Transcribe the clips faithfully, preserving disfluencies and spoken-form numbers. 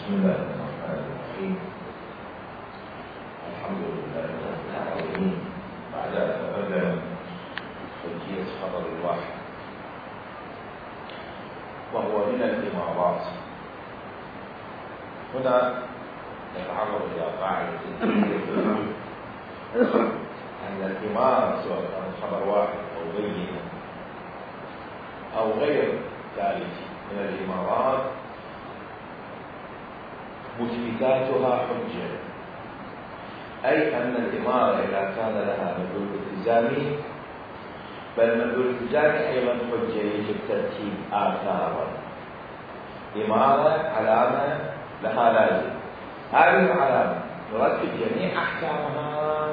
بسم الله الرحمن الرحيم. الحمد لله رب العالمين. بعد أن تقدم حجية خبر الواحد وهو من الإمارات، هنا نتعرض إلى قاعدة أن الإمارة سواء كان خبر واحد أو بينة أو غير ذلك من الإمارات مثبتاتها حجة، أي أن الإمارة إذا كان لها مدلول التزامي بل مدلول التزامي أيضا حجة يجب ترتيب آثارا. إمارة علامة لها لازم، هذه العلامة نرتب جميع أحكامها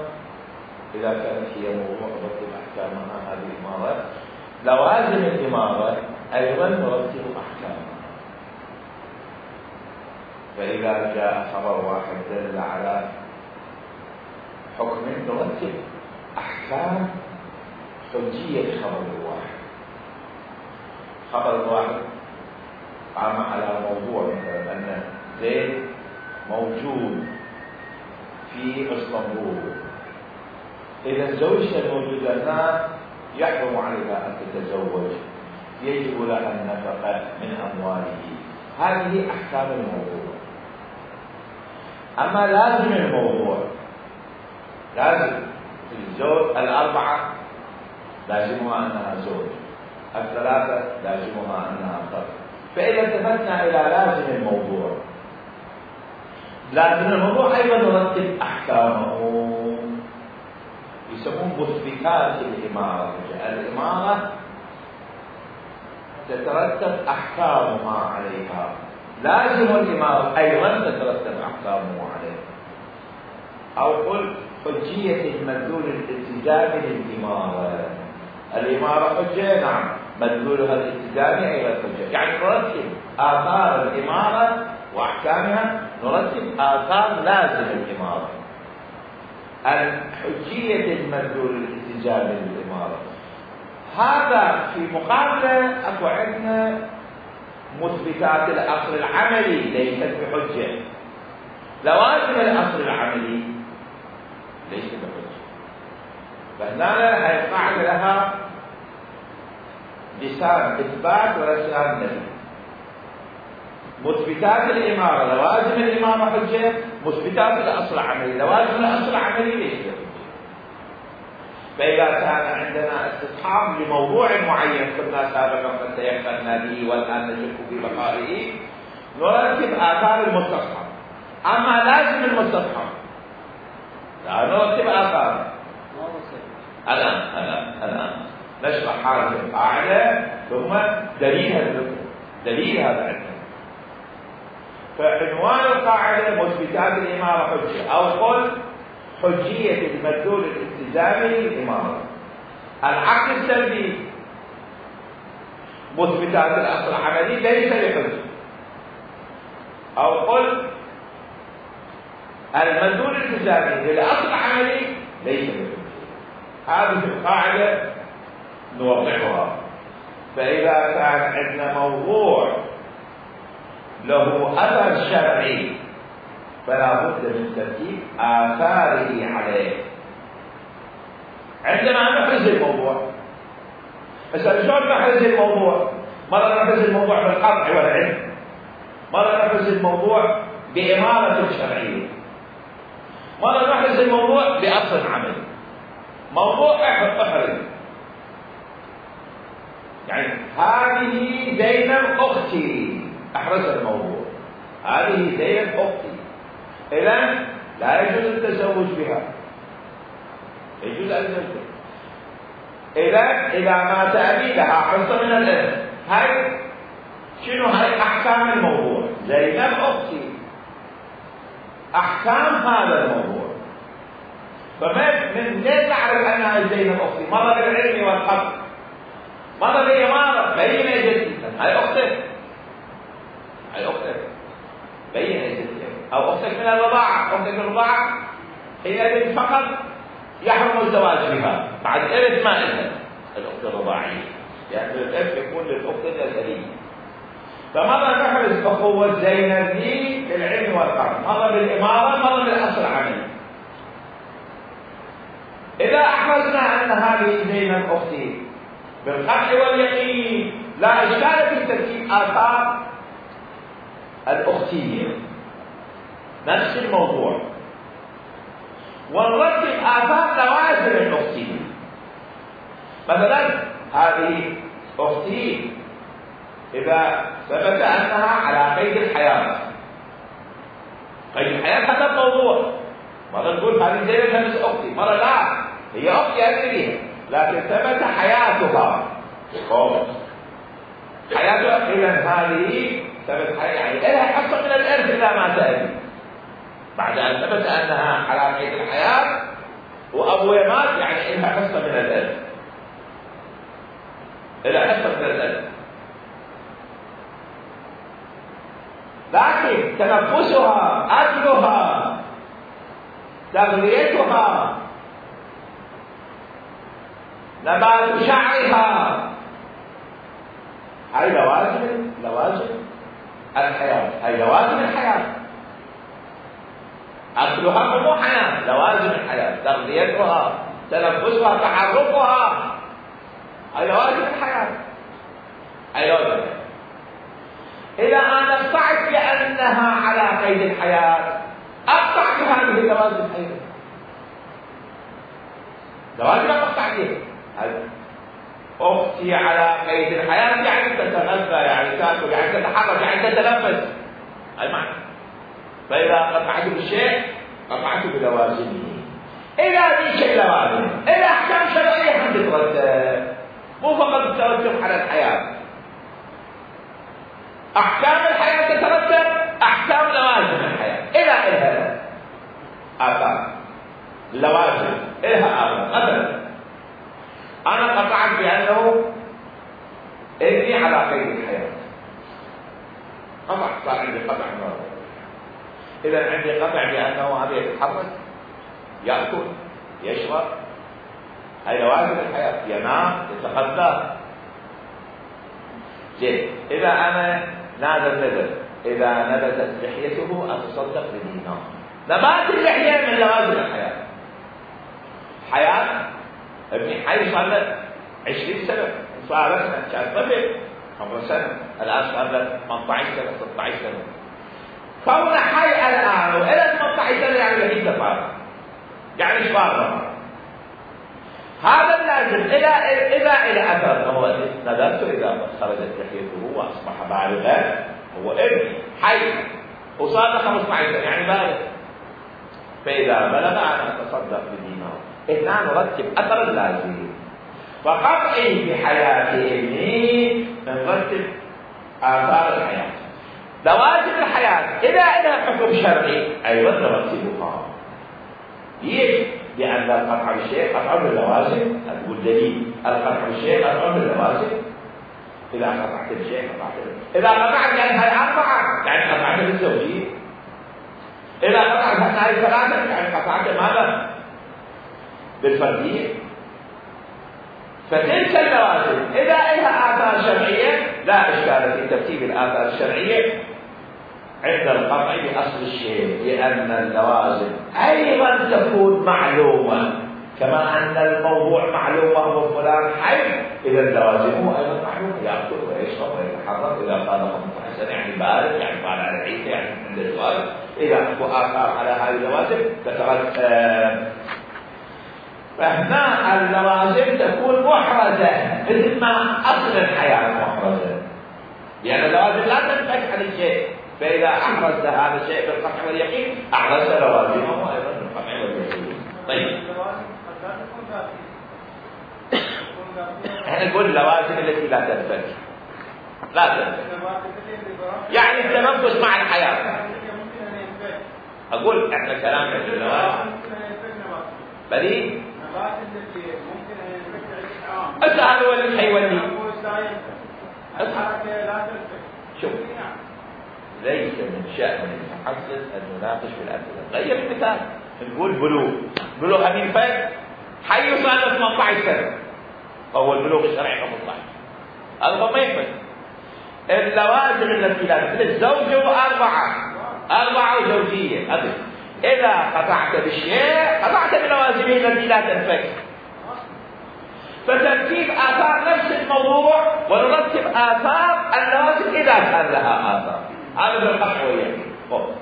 إذا كانت هي موضوع نرتب أحكامها هذه الإمارة. لوازم الإمارة أيضا نرتب أحكامها. فإذا جاء خبر واحد دل على حكم نرتب أحكام حجية خبر الواحد. خبر الواحد قام على موضوع مثلا أن زيد موجود في اسطنبول، إذا الزوجة الموجودة هناك يحرم عليها أن تتزوج، يجب لها النفقة من أمواله. هذه أحكام الموضوع. أما لازم الموضوع، لازم الزوج الأربعة لازمها أنها زوج، الثلاثة لازمها أنها فرد. فإذا التفتنا إلى لازم الموضوع، لازم الموضوع أيضا نرتب أحكامه، يسمون مثبتات الإمارة. الإمارة تترتب أحكامها عليها، لازم الإمارة أيضا تترتب أحكامه عليها. أو قل حجية المدلول الالتزامي للإمارة. الإمارة حجة، نعم، مدلولها الالتزامي أيضا حجة، يعني نرتب آثار الإمارة وأحكامها، نرتب آثار لازم الإمارة. الحجية المدلول الالتزامي للإمارة، هذا في مقابلة أكو عندنا مثبتات الأصل العملي ليست بحجة. لوازم الأصل العملي ليست بحجة. فهنا هي القاعدة لها لسان إثبات ولسان نفي. مثبتات الإمارة لوازم الإمارة حجة، مثبتات الأصل العملي لوازم الأصل العملي ليست بحجة. فإذا كان عندنا استصحاب لموضوع معين كنا سابقا قد تيقنا به والآن نشك في بقائه، نرتب آثار المستصحب. أما لازم المستصحب لا نرتب آثار. الآن الآن الآن نشرح هذه القاعدة ثم دليل هذا دليل هذا عندنا. فعنوان القاعدة مثبتات الإمارة حجة، أو قل حجية المدلول الالتزامي للإمارة. العقد السلبي مثبتات الأصل العملي ليس بحجة، أو قل المدلول الالتزامي للأصل العملي ليس بحجة. هذه القاعدة نوضحها. فإذا كان عندنا موضوع له أثر شرعي فلا بد من ترتيب آثاره عليه. عندما نحرز الموضوع، مثلا شلون نحرز الموضوع؟ مرة نحرز الموضوع بالقطع والعلم، مرة نحرز الموضوع بإمارة شرعية، مرة نحرز الموضوع بأصل عملي. موضوع احرز، يعني هذه زينب أختي، أحرز الموضوع، هذه زينب أختي، إذن لا يجوز التزوج بها، يجوز أن تزوج. إذن إذا مات أبي لها حصة من الإرث. هاي شنو؟ هاي أحكام الموضوع. زينب أختي، أحكام هذا الموضوع. فما من ليه تعرف أنها زينب أختي؟ مرة بالعلم والحق، مرة بالإمارة، بين جدي، هاي أختك، هاي أختك، بين جدي، أو أختك من الرضاعة. أختك من الرضاعة حينئذ فقط يحرم الزواج بها، بعد إرث ما إلها الأخت الرضاعية، يعني الإرث يكون للأخت الأزلية. فمرة نحرز أخوة زينب لي والقطع، مرة بالإمارة مرة بالأصل العملي. إذا أحرزنا أن هذه بين الأختين بالقطع واليقين لا إشكال في ترتيب آثار الأختية، نفس الموضوع، ونرتب آثار لوازم الأختية. مثلا هذه أختي إذا ثبت أنها على قيد الحياة، قيد الحياة هذا الموضوع، مرة نقول هذه زينب نفس أختي، مرة لا هي أختي أدريها لكن ثبت حياتها، حياتها إذا هذه ثبت حياتها، يعني لها حصة من الإرث إذا ما تأتي بعد أن ثبت أنها على قيد الحياة وأبوها مات، يعني لها حصة من الإرث، لها حصة من الإرث. لكن تنفسها، أكلها، تغذيتها، نبات شعرها، هاي لوازم لوازم الحياة، هاي لوازم الحياة. أكلها مو حياة، لوازم الحياة، تغذيتها، تنفسها، تحركها، هاي لوازم الحياة، هاي لوازم الحياة. إذا أنا اقطعت لأنها على قيد الحياة أقطع بهذه اللوازم أيضا، لوازم أقطع بها. أختي على قيد الحياة يعني تتغذى، يعني تأكل، يعني تتحرك، يعني تتنفس، أي معنى. فإذا قطعت بالشيء قطعت بلوازمه. إذا ذيك اللوازم إذا أحكام شرعية هم تترتب، مو فقط الترتب على الحياة، أحكام الحياة تترتب أحكام لوازم الحياة. إلى إلها آثار لوازم، إلها آثار. مثلا أنا قطعت بأنه إني على قيد الحياة، قطع، صار عندي قطع مرة. إذا عندي قطع بأنه هذا يتحرك، يأكل، يشرب، هاي لوازم الحياة، ينام، يتغذى. زين، إذا أنا نادر نذر إذا نبتت لحيته أتصدق بدينار، نبات اللحية من لوازم الحياة. حياة ابني حي صار له عشرين سنة، صار له كان طفل عمره سنة، الآن صار له ثمانية عشر سنة، ستة عشر سنة. كونه حي الآن وإلى ثمانية عشر سنة يعني لحيته صار، يعني ايش صار؟ هذا اللازم. إذا إذا إلى أثر هو نذرت إذا خرجت لحيته وأصبح بالغا، هو ابني حي وصار له خمسة عشر سنة يعني بالغ، فإذا بلغ أنا أتصدق بدينار. هنا نرتب أثر اللازم، فقطعي بحياة ابني نرتب آثار الحياة، لوازم الحياة. إذا إلى حكم شرعي أيضا نرتبها. ليش؟ لأن القطع بالشيء قطع باللوازم، نقول دليل القطع بالشيء قطع باللوازم. إذا قطعت بالشيء قطعت بالشيء. إذا قطعت يعني هاي أربعة يعني قطعت بالزوجية. إذا قطعت هاي ثلاثة يعني قطعت ماذا؟ بالفردية. فتلك اللوازم إذا لها آثار شرعية لا إشكال في ترتيب الآثار الشرعية عند القطع بأصل الشيء، لأن اللوازم أيضا تكون معلومة، كما أن الموضوع معلوم وهو فلان حي، إذا لوازمه أيضا معلومة، يأكل ويشرب ويتحرك، إذا قال خمسة عشر سنة يعني بالغ، يعني قال على عيسى يعني عند الزواج. إذا أكو آثار على هذه اللوازم تترتب. فهنا اللوازم تكون محرزة مثل ما أصل الحياة محرزة، لأن اللوازم لا تنفك عن الشيء، فإذا أحرزت هذا الشيء بالقطع واليقين أحرزت لوازمه أيضا بالقطع واليقين. طيب احنا نقول اللوازم التي لا تنفك، لا تنفك يعني التنفس مع الحياة. أقول احنا كلام عن اللوازم بدي أسأل هو اللي حيولي شوف، ليس من شأن المحصل أن نناقش في الأسئلة. غير المثال، نقول بلوغ، بلوغ أمين فهد حي صار له ثمانية عشر سنة، هو البلوغ الشرعي خمسة عشر، هذا ما ينفع. اللوازم التي لا مثل الزوجة وأربعة أربعة أو زوجية أبد. إذا قطعت بالشيء قطعت بلوازمه التي لا تنفك. فترتيب آثار نفس الموضوع ونرتب آثار اللوازم إذا كان لها آثار. هذا بالقطع واليقين.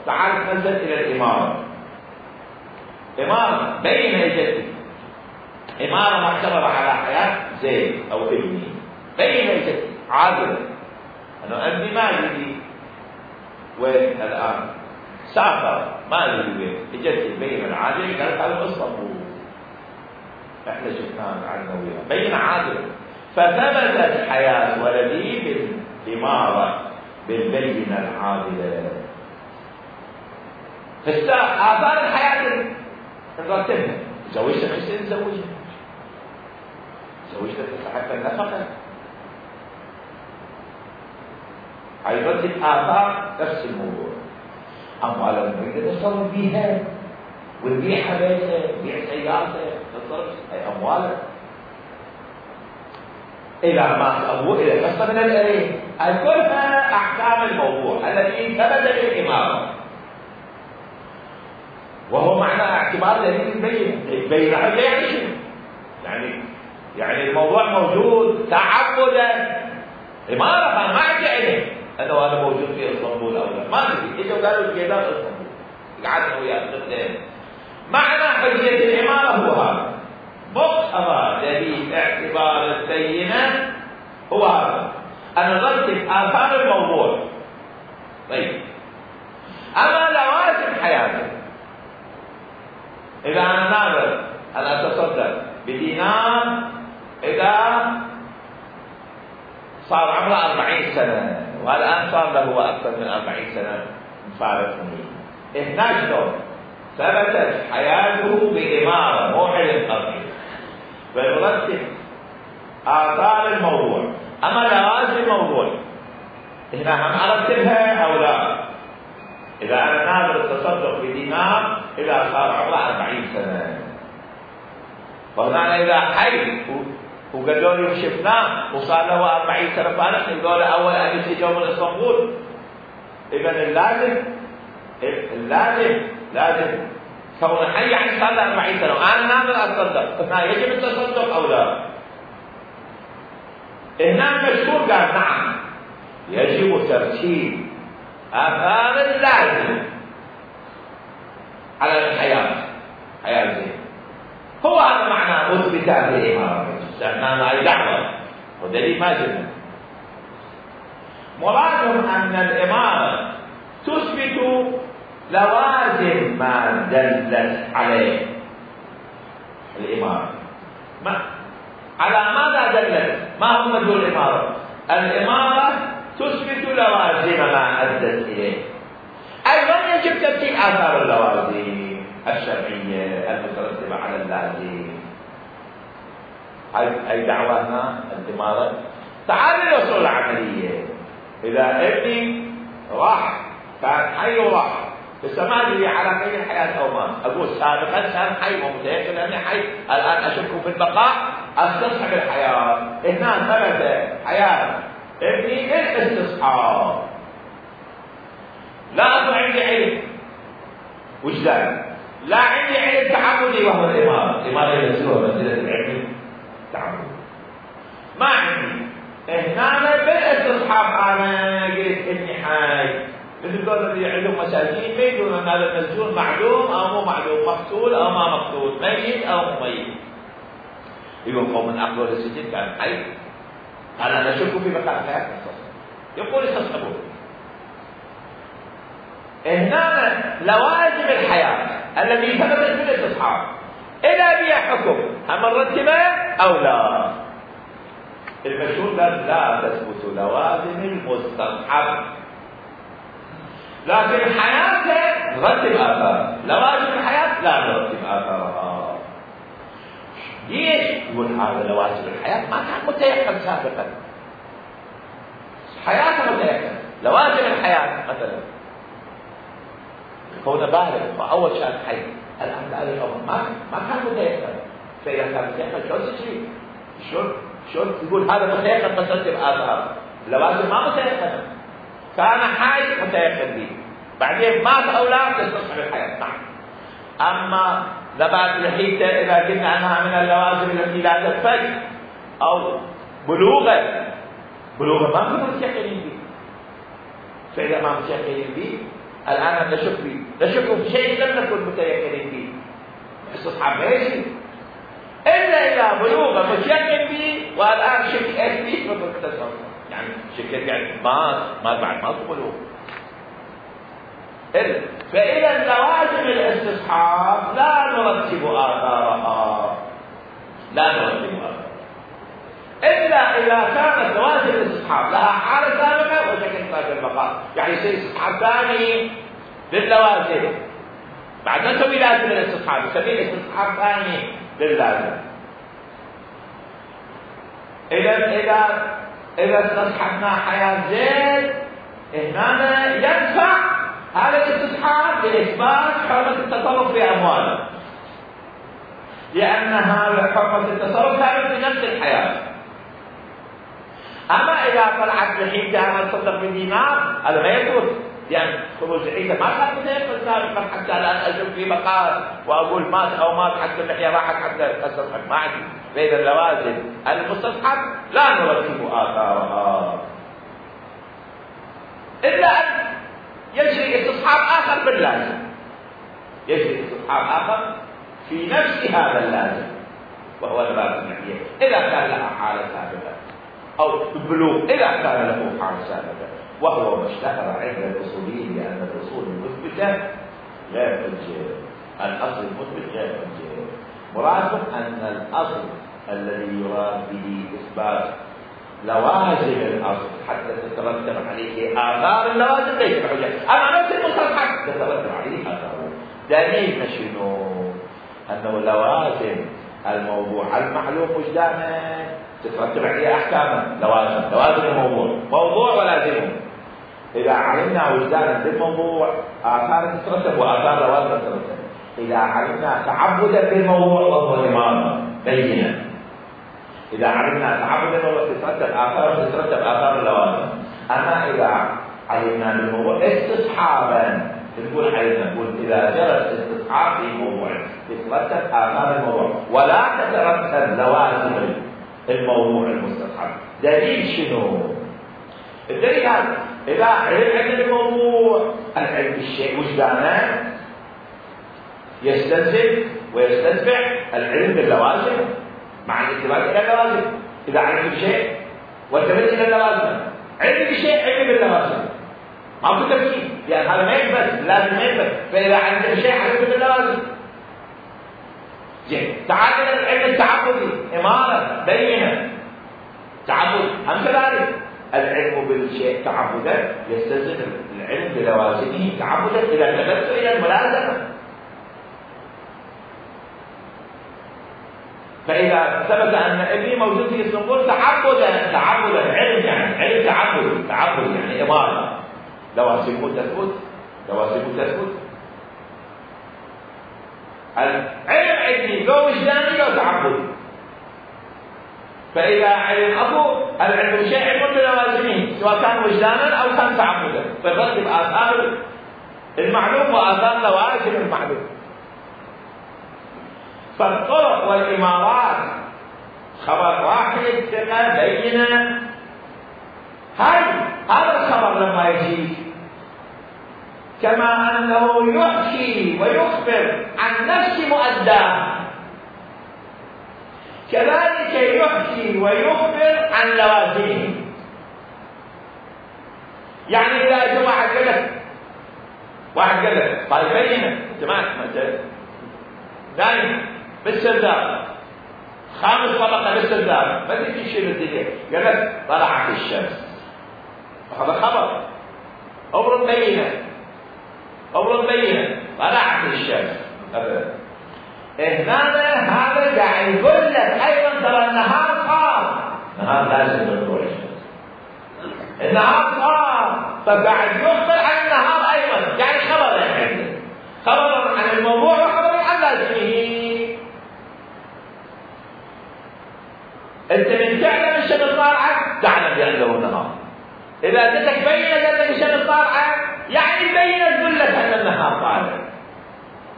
تعال ننزل إلى الإمارة. إمارة بين يدي، إمارة معتبرة على حياة زيد أو ابني بين يدي عادلة. أنا أبني ما أدري وين الآن، سافر ما أدري وين، إجت البين العادل قالت هذا اسطنبول، إحنا شفناه عنا وياه بين عادلة. فثبتت حياة ولدي بالإمارة بالبينة العادلة. آثار الحياة نرتبها. زوجت حسين زوجها، زوجت تستحق النفقة، هيرتب آثار نفس الموضوع. أموال نريد نتصرف بيها ونبيعها بيتها، نبيع سيارته، نتصرف أي أموال إلى ما أبوه إلى قصة من الأرين. كلها أحكام الموضوع الذي ثبت بالإمارة، وهو معنى اعتبار دليل البينة. البينة يعني شنو؟ يعني يعني الموضوع موجود تعبدا. إمارة ما عندي علم أنه أنا موجود في اسطنبول أو لا، ما أدري. إجوا قالوا الجيلان اسطنبول، قعدنا وياه الاثنين. معنى حجية الإمارة هو هذا، مقتضى دليل اعتبار البينة هو هذا، أن نرتب آثار الموضوع. طيب، أما لوازم حياته، إذا أنا ناظر أنا أتصدق بدينار إذا صار عمره أربعين سنة والآن صار له أكثر من أربعين سنة مفارقني، هنا شلون ثبتت حياته بإمارة مو علم قطعي، فنرتب آثار الموضوع. أما لوازم الموضوع هنا هم أرتبها أو لا؟ إذا أنا ناظر التصدق بدينار إذا صار عمره أربعين سنة، فهنا إذا حي وقالوا لي شفناه وصار له أربعين سنة فارق، يقول أول أن يجوا من اسطنبول. إذا اللازم اللازم لازم كون حي يعني صار له أربعين سنة وأنا ناظر أتصدق، هنا يجب التصدق أو لا؟ هنا المشهور قال نعم يجب ترتيب آثار اللازم على الحياة، حياة زين. هو هذا معنى أثبت الإمارة، سمعنا أي دعوة ودليل ما جبنا. مرادهم أن الإمارة تثبت لوازم ما دلت عليه الإمارة. ما على ماذا دلت؟ ما هو مدلول الإمارة؟ الإمارة تثبت لوازم ما أدت إليه. أيضا يجب ترتيب آثار اللوازم الشرعية المترتبة على اللازم. أي دعوة هنا الإمارة. تعال الأصول العملية. إذا ابني راح كان حي وراح فما لي على قيد الحياة أو ما، أقول سابقا كان حي ومتيقن لأني حي، الآن أشك في البقاء استصحب الحياة. هنا ثبت حياة ابني للاستصحاب، لا أكون عندي علم وجدان، لا عندي علم تعبدي وهو الإمارة. الإمارة ينزلها منزلة العلم تعبدي ما عندي. هنا بالاستصحاب أنا قلت إني حي، مثل دول اللي عندهم مساجين ما يدرون أن هذا المسجون معلوم أو مو معلوم، مقتول أو ما مقتول، ميت أو مو ميت. يقول قوم من أقلوا للسجن كان حي، أنا نشك في بقاء الحياة، يقول استصحبوا. هنا لوازم الحياة الذي ثبتت بالاستصحاب إذا بها حكم هم نرتبه أو لا؟ المشهور لا تثبت لوازم المستصحب، لكن حياته نرتب آثار، لوازم الحياة لا نرتب آثارها. ليش؟ يقول هذا لوازم الحياة ما كان متيقن سابقا، حياته متيقن. لوازم الحياة مثلا كونه بالغ فأول شيء حي، الآن قال الأمر ما ما كان متيقن. فإذا كان متيقن شلون تشري؟ شلون شلون يقول هذا متيقن بس ترتب آثار؟ لوازم ما متيقن، كان حي متيقن به. بعدين مات اولاد تصح الحياه. نعم. اما نبات الحيته اذا قلنا انها من اللوازم التي لا تنفك او بلوغا بلوغا ما كنا متيقنين به، فاذا ما متيقنين به الان نشك به، نشك في شيء لم نكن متيقنين به. استصحاب ما يجري الا الى بلوغ متيقن به، والان شك اثبت بالتصرف، يعني شك يعني مات مات بعد ما بلوغ. إلا فإذا لوازم الاستصحاب لا نرتب آثارها، لا نرتب آثارها إلا إذا كانت لوازم الاستصحاب لها حالة سابقة وشكل سابق البقاء، يعني يصير استصحاب ثاني للوازم بعد ما نسوي لازم الاستصحاب، نسميه استصحاب ثاني للازم. إذا إذا إذا استصحبنا حياة زيد هنا ينفع هذا الاستصحاب لإثبات حرمة التصرف في أمواله، لأن هذا حرمة التصرف كانت في نفس الحياة. أما إذا طلعت الحيدة أنا تصدق بدينار هذا ما يثبت، يعني خروج الحيدة ما كان متيقن سابقا حتى لا أجب في بقاء وأقول مات أو مات حتى اللحية راحت حتى أستصحب ما عندي. فإذا اللوازم المستصحب لا نرتب آثارها إلا أن يجري استصحاب آخر باللازم، يجري استصحاب آخر في نفس هذا اللازم وهو اللازم النهائي إذا كان لها حالة سابقة أو بلوغ إذا كان له حالة سابقة، وهو ما اشتهر عند الأصوليين لأن الأصول المثبتة غير حجة، الأصل المثبت غير حجة. مرادهم أن الأصل الذي يراد به إثبات لوازم الأصل حتى تترتب عليه آثار اللوازم ليس بحجة، أما نفس المستصحب تترتب عليه آثاره. دليل شنو؟ أنه لوازم الموضوع المعلوم وجدانه تترتب عليه أحكامه، لوازم لوازم الموضوع موضوع ولازمه. إذا علمنا وجدانا بالموضوع آثار تترتب وآثار لوازم تترتب. إذا علمنا تعبدا بالموضوع وهو إمامة بينة، إذا علمنا تعبدا تترتب آثار تترتب آثار اللوازم. أما إذا علمنا بالموضوع استصحابا نقول علمنا نقول إذا جرت استصحاب في موضوع تترتب آثار الموضوع ولا تترتب لوازم الموضوع المستصحب. دليل شنو؟ الدليل هذا إذا علم عند الموضوع العلم بالشيء وجدانه يستلزم ويستتبع العلم باللوازم مع الانتباه الى اللوازم. اذا علم بشيء وانتبه الى اللوازم، علم بشيء علم باللوازم، ما في تفكير، لان هذا ما يثبت لازم يثبت. فاذا علم بشيء علم باللوازم. زين تعال الى العلم التعبدي، اماره بينه تعبد هم كذلك. العلم بالشيء تعبدا يستلزم العلم بلوازمه تعبدا اذا التفت الى الملازمه. فإذا ثبت أن ابني موجود في اسطنبول تعبدا تعبدا علم يعني علم تعبد تعبد يعني إمارة لوازمه تثبت لوازمه تثبت. العلم عندي لو وجداني لو تعبدي. فإذا علم أبو العلم بشيء علم بلوازمه سواء كان وجدانا أو كان تعبدا، فالرتب آثار المعلوم وآثار لوازم المعلوم. فالطرق والإمارات خبر واحد ثقة بينة. هل هذا الخبر لما يجي كما أنه يحكي ويخبر عن نفس مؤداه كذلك يحكي ويخبر عن لوازمه. يعني إذا أجل واحد قال لك واحد قال لك طيب بينة تمام مثلا دائما بالسرداب خامس طبقة بالسرداب ما تجي تشيل الدنيا، قال لك طلعت الشمس هذا خبر أمر بينة أمر بينة طلعت الشمس أبدا. هنا هذا قاعد يقول لك أيضا ترى النهار صار، النهار لازم تطلع الشمس، النهار صار، فقاعد يخبر عن النهار أيضا، يعني خبر يعني خبر عن الموضوع وخبر عن لازمه. أنت من تعلم الشمس طالعة تعلم بأنه نهار. إذا جتك بينة قال لك الشمس طالعة يعني البينة تقول لك أن النهار طالع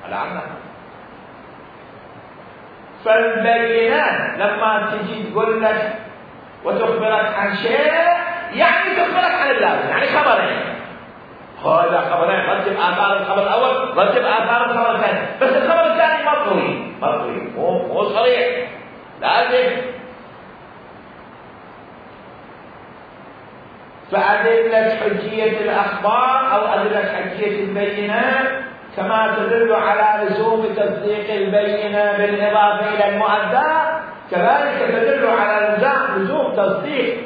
على النهار. فالبينات لما تجي تقول لك وتخبرك عن شيء يعني تخبرك عن اللازم، يعني خبرين. هذا خبرين رتب آثار الخبر الأول رتب آثار الخبر الثاني، بس الخبر الثاني ما قوي ما قوي مو مو صريح لازم. فأدلة حجية الأخبار أو أدلة حجية البينات كما تدل على لزوم تصديق البينة بالإضافة إلى المؤدى، كذلك تدل على لزوم تصديق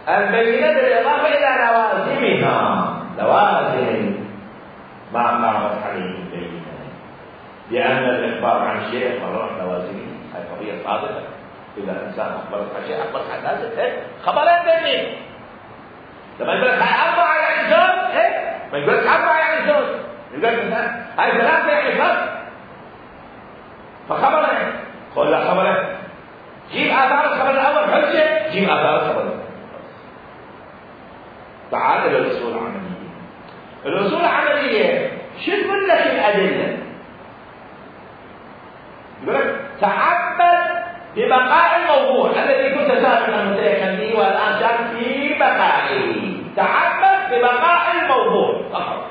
البينة بالإضافة إلى لوازمها، لوازم ما قامت عليه البينة، لأن الإخبار عن شيء قرر لوازمه. هذه قضية صادقة. إذا إنسان أخبرك عن شيء أخبرك عن لازم خبرين بينين. لما يقول لك هاي أربعة يعني زوج، إيه؟ ما يقول لك أربعة يعني زوج، يقول لك مثلا هاي ثلاثة يعني فرد. فخبرين، قول لا خبرين. جيب آثار الخبر الأول حجة، جيب آثار الخبر الأول. تعال إلى الأصول العملية. الأصول العملية شو تقول لك الأدلة؟ يقول لك تعبد ببقاء الموضوع الذي كنت سابقا متيقنا به والآن شك في بقائه. تعبد ببقاء الموضوع فقط.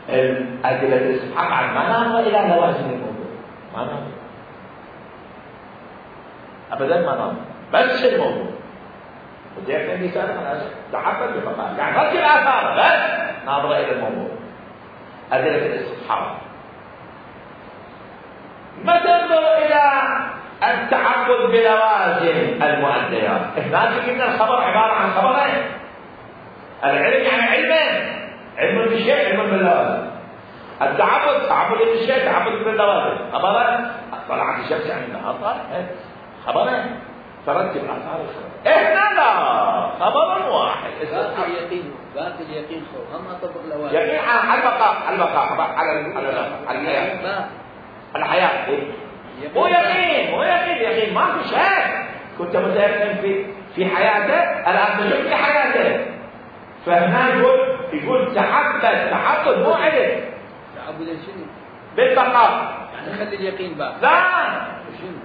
الأدلة الاستفهام عن ما نظر إلى لوازم الموضوع، ما نظر أبدا، ما نظر بس الموضوع. متيقنا به سابقا تعبد ببقاء، يعني رد الآثار بس ناظر إلى الموضوع. أدلة الاستفهام ما تنظر إلى التعبد بلوازم المؤديات. هناك قلنا الخبر عبارة عن خبرين. العلم يعني علمين، علم بالشيء علم باللوازم. التعبد تعبد بالشيء تعبد باللوازم. خبرين طلعت الشمس يعني النهار طالع، خبرين ترتب آثار الخبر. هنا لا، خبر واحد. باقي اليقين باقي اليقين خو هم طبق لوازم. يقين على البقاء على البقاء على على الحياة الحياة إيه؟ مو يقين مو يقين يقين ما في شك. كنت متيقن في في حياته، الآن تشك في حياته. فهنا يقول يقول تعبد تعبد مو علم. تعبد شنو؟ بالبقاء يعني خلي اليقين باقي. لا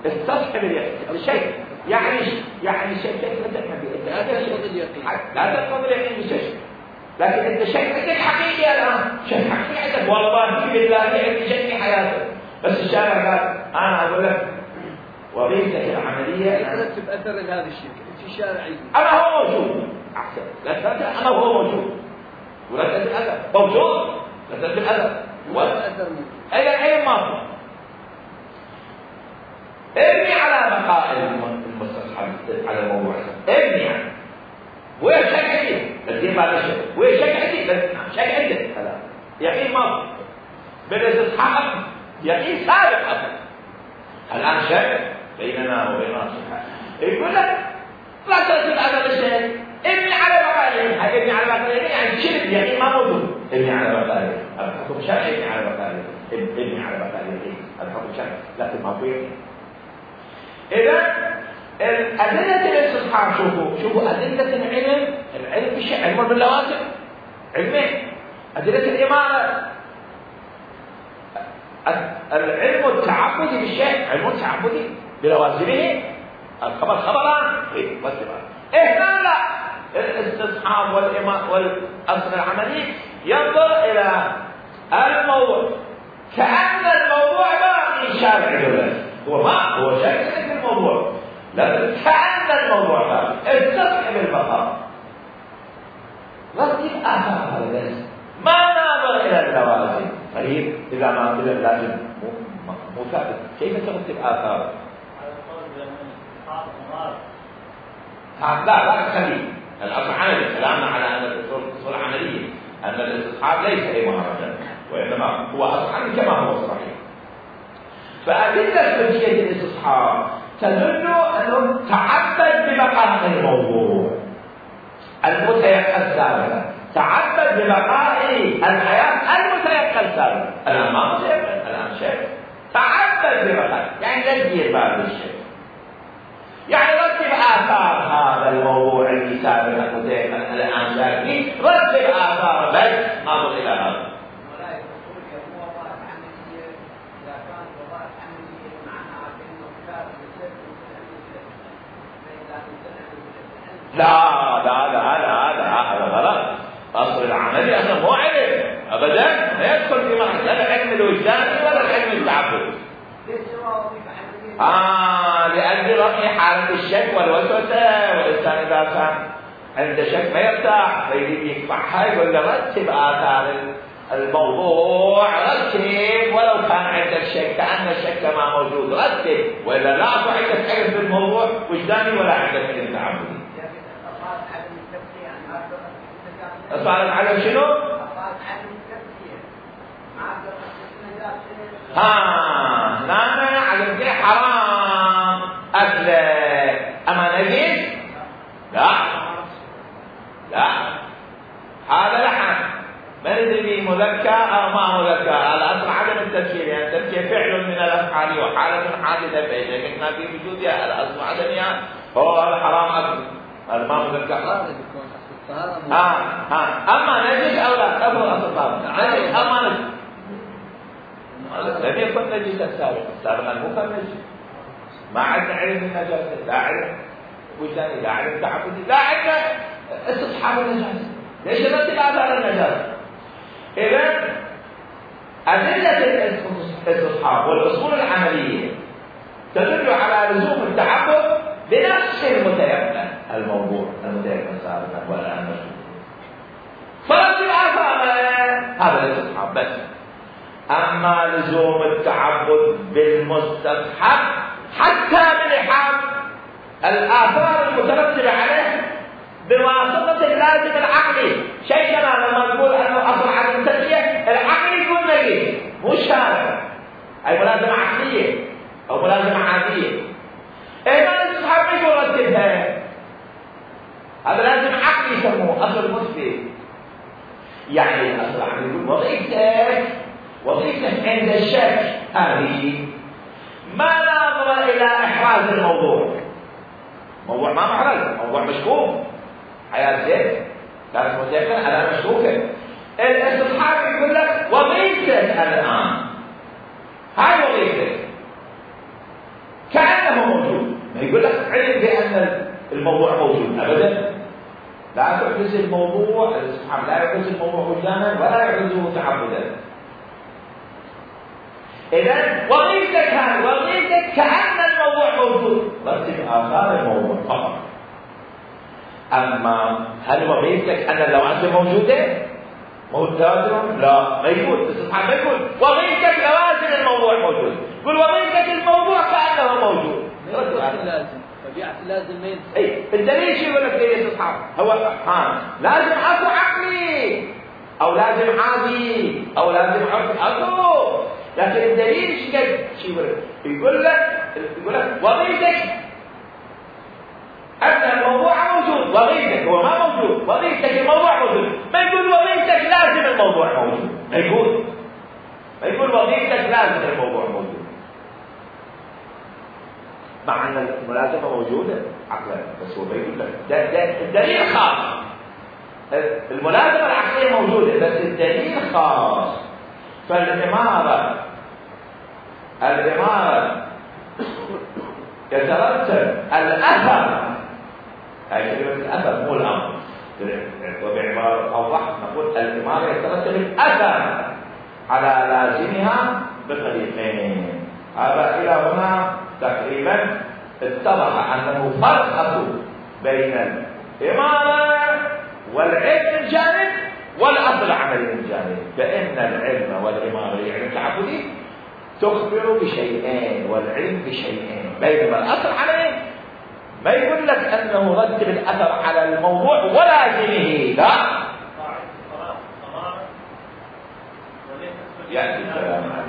استصحب اليقين الشيء يعني يعني شيء كيف تفهم لا تفقد اليقين لا تفقد اليقين بشيء، لكن انت شيء عندك حقيقي الآن، شيء حقيقي عندك والله في بالله عندي شيء في حياته. بس الشارع قال انا اقول لك وظيفتك العمليه ترتب اثر لهذا الشيء في شارعي. انا هو موجود احسن، لا ترتب انا هو موجود ولا ترتب الاثر موجود، لا ترتب الاثر والاثر موجود. اي العين ما ابني على بقاء المستصحب على الموضوع، ابني يعني وين شك عندي تدير بعد الشيء وين شك عندي شك عندك هذا يقين ما بالاستصحاب يقين سابق أصلا. الآن شك بيننا وبين الصحة يقول لك لا ترتب هذا الشيء، ابني على بقائه. هاي ابني على بقائه يعني شرك يقين ما موجود. ابني على بقائه الحكم شرعي، ابني على بقائه ابني على بقائه الحكم شرعي، لكن ما في يقين. إذا الأدلة الاستصحاب شوفوا شوفوا أدلة العلم، العلم بالشيء علم باللوازم علمين. أدلة الإمامة العلم التعبدي بالشيء علم التعبدي بلوازمه. الخبر خبران ايه بس ايه لا لا الاستصحاب والإمام والأصل العملي ينظر إلى الموضوع كأن الموضوع باقي شارع بس هو ما هو شارع في الموضوع، لكن كأن الموضوع باقي استصحب البقاء رتب آثار هذا ما ناظر إلى اللوازم. طيب إذا ما قلنا لازم مو مو ثابت، كيف ترتب آثار؟ لا لا تخلي الأصل عملي. كلامنا على أن الأصول عملية، أن الاستصحاب ليس أي مهرجان، وإنما هو أصل عملي كما هو صحيح. فأدلة حجية الاستصحاب تدل أنه تعبد ببقاء الموضوع المتيقن السابق، تعبد ببقاء الحياة المتيقن السابق. الآن ما متيقن، الآن شيء تعبد ببقاء يعني لا تدير بعد الشيء. يعني رتب آثار هذا الموضوع اللي سابقا حذيفة الآن ذاكري، رتب آثار بس ناظر إلى هذا. لا لا لا لا لا هذا غلط. أصل العملي أصلا مو علم أبدا، لا يدخل في مرحلة لا العلم الوجداني ولا العلم التعبدي. آه لأجل رفع حالة الشك والوسوسة، والإنسان إذا كان عنده شك ما يرتاح فيريد يقطعها يقول له رتب آثار الموضوع، رتب ولو كان عندك شك كأن الشك ما موجود، رتب وإلا لا أصبح عندك علم بالموضوع وجداني ولا عندك علم تعبدي. أصبحت علم شنو؟ ها لا علم كده حرام أكل أما نجس لا لا هذا لحن ما ندري مذكر أو ما مذكر، الأصل عدم التفسير، يعني التفسير فعل من الأفعال وحالة حادثة فإذا كنا في وجودها الأصل عدمها هو الحرام أكل، هذا ما مذكر. ها ها أما نجس أو لا أفضل أصل نجس أما نجس لم يكن نجسا سابقا، سابقا مو كان نجس. ما عندنا علم النجاسة، لا علم وجداني، لا علم تعبدي، لا عندنا استصحاب النجاسة. ليش نرتب آثار النجاسة؟ إذا أدلة الاستصحاب والأصول العملية تدل على لزوم التعبد بنفس المتيقن الموضوع المتيقن سابقا والآن مشهور. فرتب آثار هذا الاستصحاب بس. أما لزوم التعبد بالمستصحب حتى بلحاظ الآثار المترتبة عليه بواسطة اللازم العقلي، شيء كما لما نقول أنه أصل عدم التسلية العقل يكون نجس مو شارع، أي ملازمة عقلية أو ملازمة عادية. إذا الاستصحاب يقول رتبها، هذا لازم عقلي يسموه أصل مثبت. يعني الأصل العقلي يقول وظيفتك وظيفتك عند الشك هذه ما ناظر إلى إحراز الموضوع، موضوع ما محرز، موضوع مشكوك، حياة زيت كانت متيقنة أنا مشكوكة. الاستصحاب يقول لك وظيفتك الآن، هاي وظيفتك كأنه موجود، ما يقول لك علم بأن الموضوع موجود أبدا، لا يحرز الموضوع، الاستصحاب لا يحرز الموضوع وجدانا ولا يحرزه تعبدا. إذا وظيفتك هذه وظيفتك كأن الموضوع موجود، رتب آثار الموضوع فقط. أما هل وظيفتك أن اللوازم موجودة؟ موجودة؟ لا ما يقول، الاستصحاب ما يقول وظيفتك لوازم الموضوع موجود، يقول وظيفتك الموضوع كأنه موجود. لازم طبيعة لازم ما ينسى. أي الدليل شو يقول لك في الاستصحاب؟ هو ها لازم أصل عقلي أو لازم عادي أو لازم عقلي أصل، لكن الدليل ايش قد شو يقول؟ يقول لك يقول لك وظيفتك ان الموضوع موجود، وظيفتك هو ما موجود، وظيفتك الموضوع موجود، ما يقول وظيفتك لازم الموضوع موجود، ما يقول ما يقول وظيفتك لازم الموضوع موجود، مع ان الملازمه موجوده عقلا، بس هو ما يقول لك ده ده الدليل خاص، الملازمه العقليه موجوده بس الدليل خاص. فالإمارة الإمارة يترتب الأثر، هذه كلمة الأثر مو الأمر، وبعبارة أوضح نقول الإمارة يترتب الأثر على لازمها بطريقين. هذا إلى هنا تقريبا اتضح أنه فرق بين الإمارة والعلم من جانب والأصل العملي من جانب، فإن العلم والإمارة يعني التعبدي تخبر بشيئين والعلم بشيئين، بينما الأصل عليه ما يقول لك أنه رتب الأثر على الموضوع ولازمه، لا. يأتي الكلام